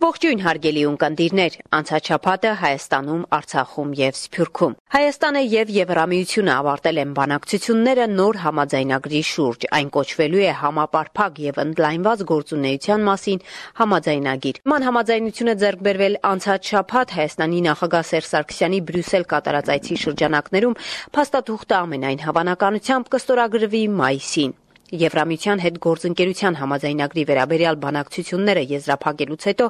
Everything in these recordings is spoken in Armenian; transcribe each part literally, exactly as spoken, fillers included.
Ողջույն հարգելի ունկնդիրներ, անցած շաբաթը Հայաստանում, Արցախում եւ Սփյուռքում։ Հայաստանը եւ Եվրամիությունը ավարտել են բանակցությունները նոր համաձայնագրի շուրջ։ Այն կոչվելու է համապարփակ եւ ընդլայնված գործունեության մասին համաձայնագիր։ Ման համաձայնությունը ձեռք բերվել անցած շաբաթ Հայաստանի նախագահ Սերժ Սարգսյանի Բրյուսել կատարած այցի շրջանակներում փաստաթուղթը ամենայն հավանականությամբ կստորագրվի մայիսին։ Եվրամիության հետ գործընկերության համաձայնագրի վերաբերյալ բանակցությունները եզրափակելուց հետո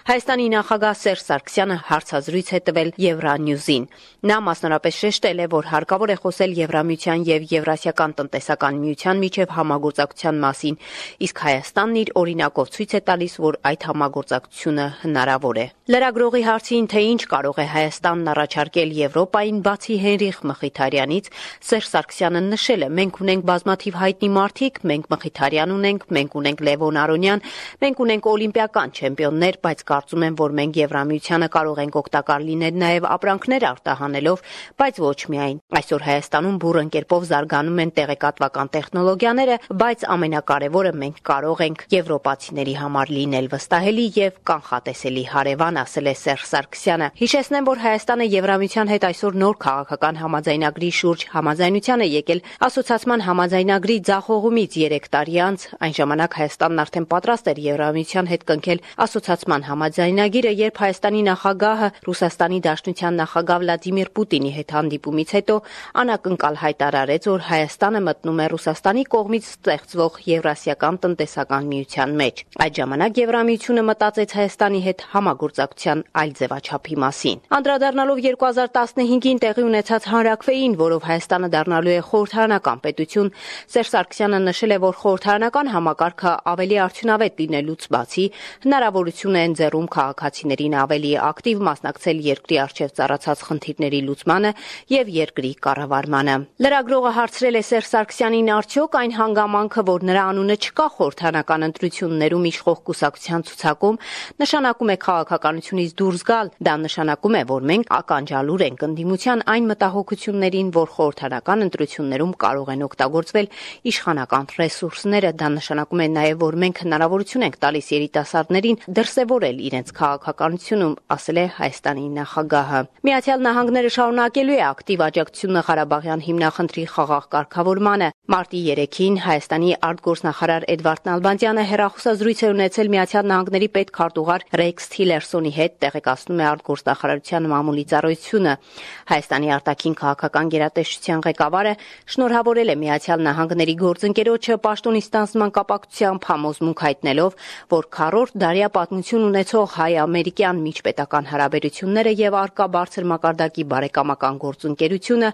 Հայաստանի նախագահ Սերժ Սարգսյանը հարցազրույց է տվել Եվրանյուզին։ Նա մասնավորապես շեշտել է, որ հարկավոր է խոսել Եվրամիության եւ Եվրասիական տնտեսական միության միջև համագործակցության մասին, իսկ Հայաստանն իր օրինակով ցույց է տալիս, որ այդ համագործակցությունը հնարավոր է։ Լրագրողի հարցին, թե ինչ կարող է Հայաստանն առաջարկել Եվրոպային բացի Հենրիխ Մխիթարյանից, Սերժ Սարգսյանը նշել է. մենք ունենք բազմաթիվ հայտնի մարդիկ, մենք Մխիթարյան ունենք, մենք ունենք Լևոն Արոնյան, մենք ունենք օլիմպիական չեմպիոններ, բայց կարծում եմ, որ մենք Եվրամիությանը կարող ենք օգտակար լինել նաև ապրանքներ արտահանելով, բայց ոչ միայն։ Այսօր Հայաստանում բուրըն կերպով զարգանում են տեղեկատվական տեխնոլոգիաները, բայց ամենակարևորը մենք կարող ենք եվրոպացիների համար լինել վստահելի եւ կանխատեսելի հարևան, ասել է Սերժ Սարգսյանը։ Հիշեցնեմ, որ Հայաստանը Եվրամիության հետ այսօր նոր քաղաքական համաձայնագրի շուրջ համաձայնության է եկել ասոցիացիան համաձայնագրի ձախողումից երեք տարի անց, այն ժամանակ Հայաստանն արդեն պատրաստ էր Եվրամիության հետ կնքել ասոցիացիան համաձայնագիրը, երբ Հայաստանի նախագահը Ռուսաստանի Դաշնության նախագահ Վլադիմիր Պուտինի հետ հանդիպումից հետո անակնկալ հայտարարեց, որ Հայաստանը մտնում է Ռուսաստանի կողմից ստեղծվող Եվրասիական տնտեսական միության մեջ։ Այդ ժամանակ Եվրամիությունը մտածեց Հայաստանի հետ համագործակցության այլ ձևաչափի մասին։ Անդրադառնալով երկու հազար տասնհինգին տեղի ունեցած հանրաքվեին, որով Հայաստանը դառնալու է խորհրդարանական պետություն, Սերժ Սարգսյանը նշել է, որ խորհրդարանական համակարգը ավելի արդյունավետ լինելուց բացի հնարավորություն է ընձեռում քաղաքացիներին ավելի ակտիվ մասնակցել երկրի առջև ծառացած խնդիրների լուծմանը եւ երկրի կառավարմանը։ Լրագրողը հարցրել է Սերժ Սարգսյանին, արդյոք այն հանգամանքը, որ նրա անունը չկա խորհրդարանական ընտրություններում իշխող կուսակցության ցուցակում, նշանակում է քաղաքականությունից դուրս գալ։ Դա նշանակում է, որ մենք ականջալուր ենք ընդդիմության այն մտահոգություններին, որ խորհրդարանական ընտրություններում կարող են օգտագործվել իշխանական ռեսուրսները։ Դա նշանակում է նաև, որ մենք հնարավորություն ենք տալիս երիտասարդներին դրսևորել իրենց քաղաքականությունում, ասել է Հայաստանի նախագահը։ Միացյալ Նահանգները շարունակելու է ակտիվ աջակցությունը Ղարաբաղյան հիմնախնդրի խաղաղ կարգավորմանը։ Մարտի երեքին Հայաստանի արտգործնախարար Էդվարդ Նալբանդյանը հեռախոսազրույց է ունեցել Միացյալ Նահանգների պետքարտուղար Ռեքս Թիլերսոնի հետ, տեղեկացնում է արտգործնախարարության մամուլի ծառայությունը։ Հայաստանի արտաքին քաղաքական գերատեսչության ղեկավարը շնորհավորել է Միացյալ Նահանգների գործընկերոջը պաշտոնի ստանձնման կապակցությամբ համոզմունք հայտնելով, որ քառորդ դարյա պատմություն ունեցող հայ-ամերիկյան միջպետական հարաբերությունները եւ առկա բարձր մակարդակի բարեկամական գործընկերությունը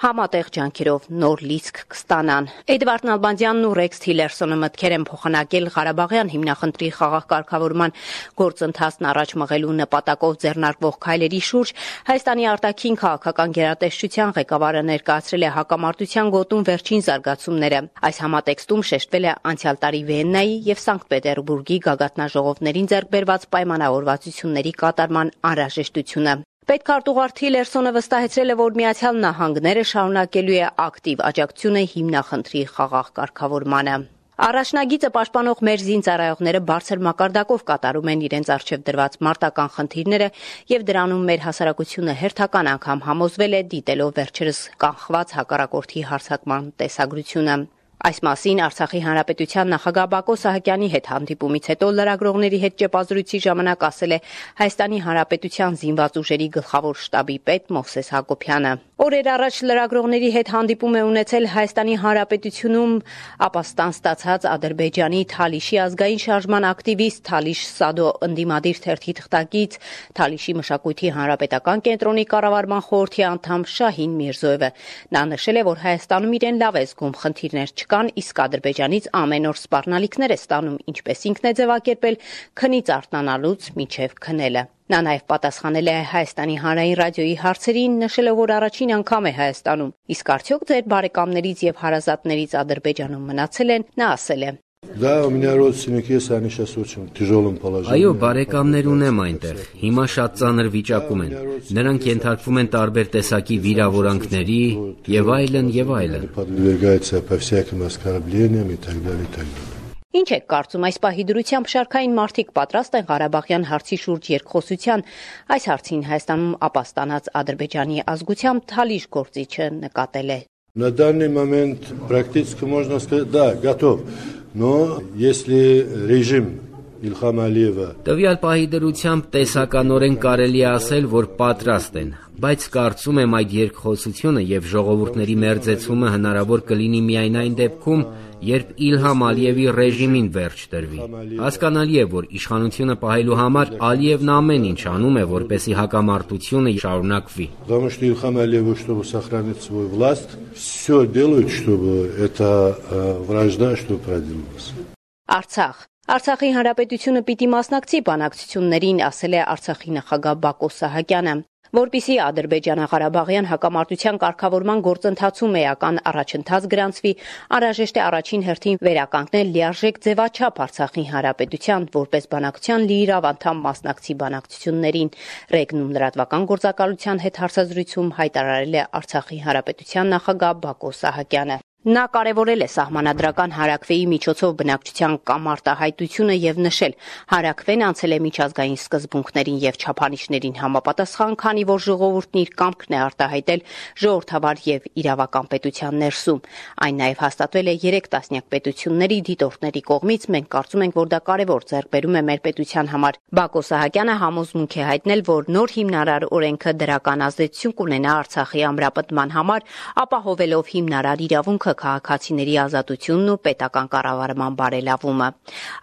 համատեղ ջանքերով նոր լիցք կստանան։ Էդվարդ Նալբանդյանն ու Ռեքս Թիլերսոնը մտքեր են փոխանակել Ղարաբաղյան հիմնախնդրի խաղաղ կարգավորման գործընթացն առաջ մղելու նպատակով ձեռնարկվող քայլերի շուրջ Հայաստանի արտաքին քաղաքական գերատեսչության ղեկավարը ներկայացրել է հակամարտության գոտում վերջին զարգացումները։ Այս համատեքստում շեշտվել է անցյալ տարի Վիեննայի եւ Սանկտ Պետերբուրգի գագաթնաժողովներին ձեռք բերված պայմանավորվածությունների կատարման անհրաժեշտությունը։ Պետքարտուղար Թիլերսոնը վստահեցրել է, որ Միացյալ Նահանգները շարունակելու է ակտիվ աջակցությունը հիմնախնդրի խաղաղ կարգավորմանը։ Առաջնագիծը պաշտպանող մեր զինծառայողները բարձր մակարդակով կատարում են իրենց առջև դրված մարտական խնդիրները եւ դրանում մեր հասարակությունը հերթական անգամ համոզվել է, դիտելով վերջերս կանխված հակառակորդի հարձակման տեսագրությունը։ Այս մասին Արցախի Հանրապետության նախագահ Բակո Սահակյանի հետ հանդիպումից հետո լրագրողների հետ ճեպազրույցի ժամանակ ասել է Հայաստանի Հանրապետության զինված ուժերի գլխավոր շտաբի պետ Մովսես Հակոբյանը։ Օրեր առաջ լրագրողների հետ հանդիպում է ունեցել Հայաստանի Հանրապետությունում ապաստան ստացած Ադրբեջանի Թալիշի ազգային շարժման ակտիվիստ, Թալիշ Սադո ընդդիմադիր թերթի թղթակից, Թալիշի մշակույթի հանրապետական կենտրոնի կառավարման խորհրդի անդամ Շահին Միրզոևը։ Նա նշել է, որ Հայաստանում իրեն լավ է զգում, խնդիրներ չկան, իսկ Ադրբեջանից ամեն օր սպառնալիքներ է ստանում, ինչպես ինքն է ձևակերպել, քնից արթնանալուց մինչև քնելը։ Նա նաև պատասխանել է Հայաստանի հանրային ռադիոյի հարցերին, նշելով, որ առաջին անգամ է Հայաստանում։ Իսկ արդյոք ձեր բարեկամներից եւ հարազատներից Ադրբեջանում մնացել են, նա ասել է. Да, у меня родственники есть, они сейчас очень тяжелом положении. Այո, բարեկամներ ունեմ այնտեղ։ Հիմա շատ ծանր վիճակում են։ Նրանք ենթարկվում են տարբեր տեսակի վիրավորանքների եւ այլն եւ այլն։ Подвергаются по всяким оскорблениям и так далее, и так далее. Ինչ եք կարծում այս պահի դրությամբ շարքային մարդիկ պատրաստ են Ղարաբաղյան հարցի շուրջ երկխոսության? Այս հարցին Հայաստանում ապաստանած Ադրբեջանի ազգությամբ Թալիշ գործիչը նկատել է. На данный момент практически можно сказать, да, готов. Но если режим Իլխամ Ալիևը Տվյալ պահի դրությամբ տեսականորեն կարելի է ասել, որ պատրաստ են, բայց կարծում եմ այդ երկխոսությունը եւ ժողովուրդների մերձեցումը հնարավոր կլինի միայն այն դեպքում, երբ Իլհամ Ալիևի ռեժիմին վերջ տրվի։ Հասկանալի է, որ իշխանությունը պահելու համար Ալիևն ամեն ինչ անում է, որպեսզի հակամարտությունը շարունակվի։ Потому что Ильхам Алиев, чтобы сохранить свою власть, все делают, чтобы эта вражда что продвинулась. Արցախ Արցախի հանրապետությունը պիտի մասնակցի բանակցություններին, ասել է Արցախի նախագահ Բակո Սահակյանը, որպեսզի Ադրբեջանա-Ղարաբաղյան հակամարտության կարգավորման գործընթացում էական առաջընթաց գրանցվի, անհրաժեշտ է առաջին հերթին վերականգնել լիարժեք ձևաչափ Արցախի հանրապետության, որպես բանակցության լիիրավ անդամ մասնակցի բանակցություններին։ Ռեգնում լրատվական գործակալության հետ հարցազրույցում հայտարարել է Արցախի հանրապետության նախագահ Բակո Սահակյանը։ Նա կարևորել է սահմանադրական հարակվեի միջոցով բնակչության կամարտահայտությունը եւ նշել, հարակվեն անցել է միջազգային սկզբունքներին եւ չափանիշներին համապատասխան, քանի որ ժողովուրդն իր կամքն է արտահայտել ժողովրդավար եւ իրավական պետության ներսում։ Այն նաեւ հաստատվել է երեք տասնյակ պետությունների դիտորդների կողմից, մենք կարծում ենք, որ դա կարևոր ձեռքբերում է մեր պետության համար։ Բակո Սահակյանը համոզմունք է հայտնել, որ նոր հիմնարար օրենքը դրական ազդեցություն կունենա Արցախի ամրապնդման համար, ապահովելով հիմնարար իրավունքը քաղաքացիների ազատությունն ու պետական կառավարման բարելավումը։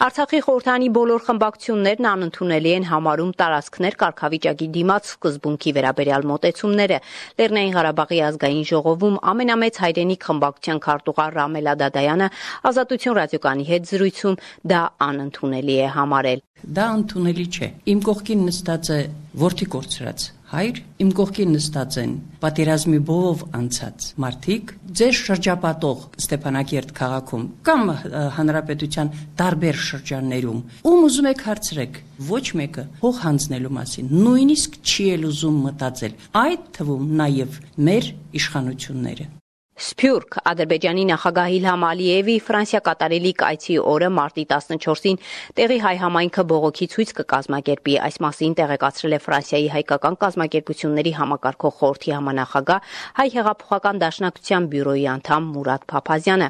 Արցախի խորհրդանի բոլոր խմբակցություններն անընդունելի են համարում տարածքներ կարգավիճակի դիմաց սկզբունքի վերաբերյալ մոտեցումները։ Լեռնային Ղարաբաղի ազգային ժողովում ամենամեծ հայրենիք խմբակցության քարտուղար Ռամել Ադադայանը Ազատություն ռադիոկայանի հետ զրույցում դա անընդունելի է համարել։ Դա ընդունելի չէ։ Իմ կողքին նստած է որդի կորցրած հայր, իմ կողքին նստած են պատերազմի բովով անցած մարդիկ, ձեր շրջապատող Ստեփանակերտ քաղաքում կամ հանրապետության տարբեր շրջաններում, ում ուզում եք հարցրեք, ոչ մեկը հող հանձնելու մասին, նույնիսկ չի էլ ուզում մտածել, այդ թվում նաև մեր իշխանությունները։ Սփյուռք Ադրբեջանի նախագահ Իլհամ Ալիևի Ֆրանսիա կատարելիք այցի օրը մարտի տասնչորսին տեղի հայ համայնքը բողոքի ցույց կկազմակերպի։ Այս մասին տեղեկացրել է Ֆրանսիայի հայկական կազմակերպությունների համակարգող խորհրդի համանախագահ Հայ հեղափոխական դաշնակցության բյուրոյի անդամ Մուրադ Փափազյանը։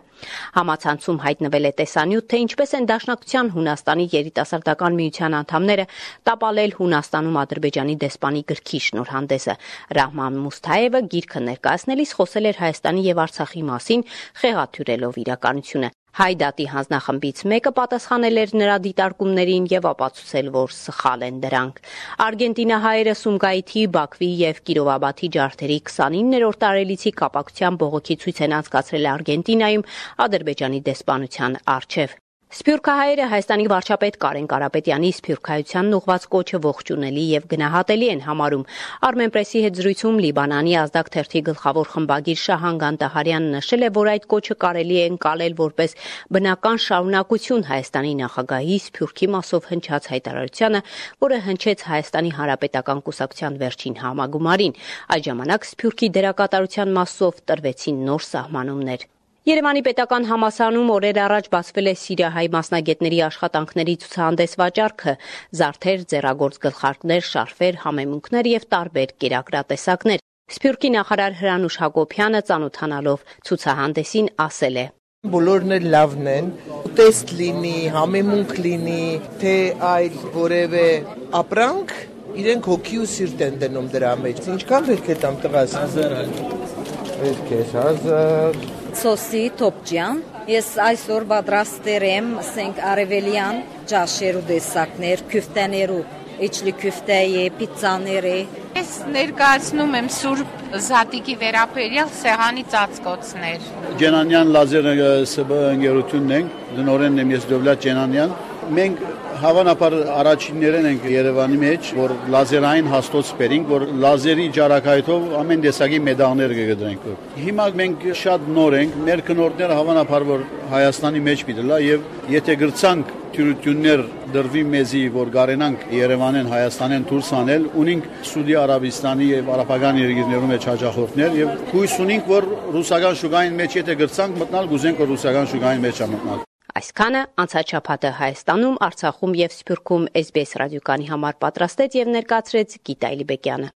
Համացանցում հայտնվել է տեսանյութ, թե ինչպես են դաշնակցության Հունաստանի երիտասարդական միության անդամները տապալել Հունաստանում Ադրբեջանի դեսպանի գրքի շնորհանդեսը։ Ռահման Մուսթայևը գիրքը ներկայացնելիս խոսել էր Հայաստանի եւ Արցախի մասին, խեղաթյուրելով իրականությունը։ Հայդատի հանձնախմբից մեկը պատասխանել էր նրա դիտարկումներին եւ ապացուցել, որ սխալ են դրանք։ Արգենտինահայերը Սումգայիթի, Բաքվի եւ Կիրովաբադի ջարդերի քսանիններորդ տարելիցի կապակցությամբ բողոքի ցույց են անցկացրել Արգենտինայում Ադրբեջանի դեսպանության առջև։ Սփյուռքահայերը Հայաստանի վարչապետ Կարեն Կարապետյանի սփյուռքահայությանն ուղված կոչը ողջունելի եւ գնահատելի են համարում։ Armenpress-ի հետ զրույցում Լիբանանի ազդակ թերթի գլխավոր խմբագիր Շահան Գանտահարյանը նշել է, որ այդ կոչը կարելի է ընկալել որպես բնական շարունակություն Հայաստանի նախագահի Սփյուռքի մասով հնչած հայտարարությանը, որը հնչեց Հայաստանի Հանրապետական կուսակցության վերջին համագումարին։ Այդ ժամանակ Սփյուռքի դերակատարության մասով տրվեցին նոր սահմանումներ։ Երևանի պետական համալսարանում օրեր առաջ բացվել է սիրիահայ մասնագետների աշխատանքների ցուցահանդես վաճառքը, զարդեր, ձեռագործ գլխարկներ, շարֆեր, համեմունքներ եւ տարբեր կերակրատեսակներ։ Սփյուռքի նախարար Հրանուշ Հակոբյանը ծանոթանալով ցուցահանդեսին ասել է. Բոլորն էլ լավն են, ուտեստ լինի, համեմունք լինի, թե այլ որևէ ապրանք, իրենք հոգի ու սիրտ են դնում դրա մեջ։ Ինչքան պետք է տամ տղաս։ հազար Պետք է հազար Սոսի Թոփջյան, ես այսօր պատրաստել եմ ասենք արևելյան ճաշեր ու դեսակներ, քյուֆտեներ ու իջլի քյուֆտեի, պիցցաների։ Ես ներկայացնում եմ Սուրբ Զատիկի վերապերյալ սեղանի ծածկոցներ։ Ջենանյան լազեր ՍԲ ընկերությունն ենք, դնորենն եմ ես Դովլաթ Ջենանյան։ Մենք հավանաբար առաջիններն ենք Երևանի մեջ, որ լազերային հաստոց բերենք, որ լազերի ջարակայթով ամեն տեսակի մեդալներ կգրենք։ Հիմա մենք շատ նոր ենք, մեր քնորդները հավանաբար որ Հայաստանի մեջ պիտի լա եւ եթե գրցանք թյուրություններ դրվի մեզի, որ գարենանք Երևանեն, Հայաստանեն դուրս անել, ունենք Սուդի Արաբիստանի եւ արաբական երկրներում մեջ հաջախորդներ եւ հույս ունենք, որ ռուսական շուկային մեջ եթե գրցանք մտնալ, գուզենք որ ռուսական շուկային մեջ մտնալ։ Այսքանը անցած շաբաթը Հայաստանում, Արցախում եւ Սփյուռքում էս բի էս ռադիոկանի համար պատրաստեց եւ ներկայացրեց Գիտա Իլիբեկյանը։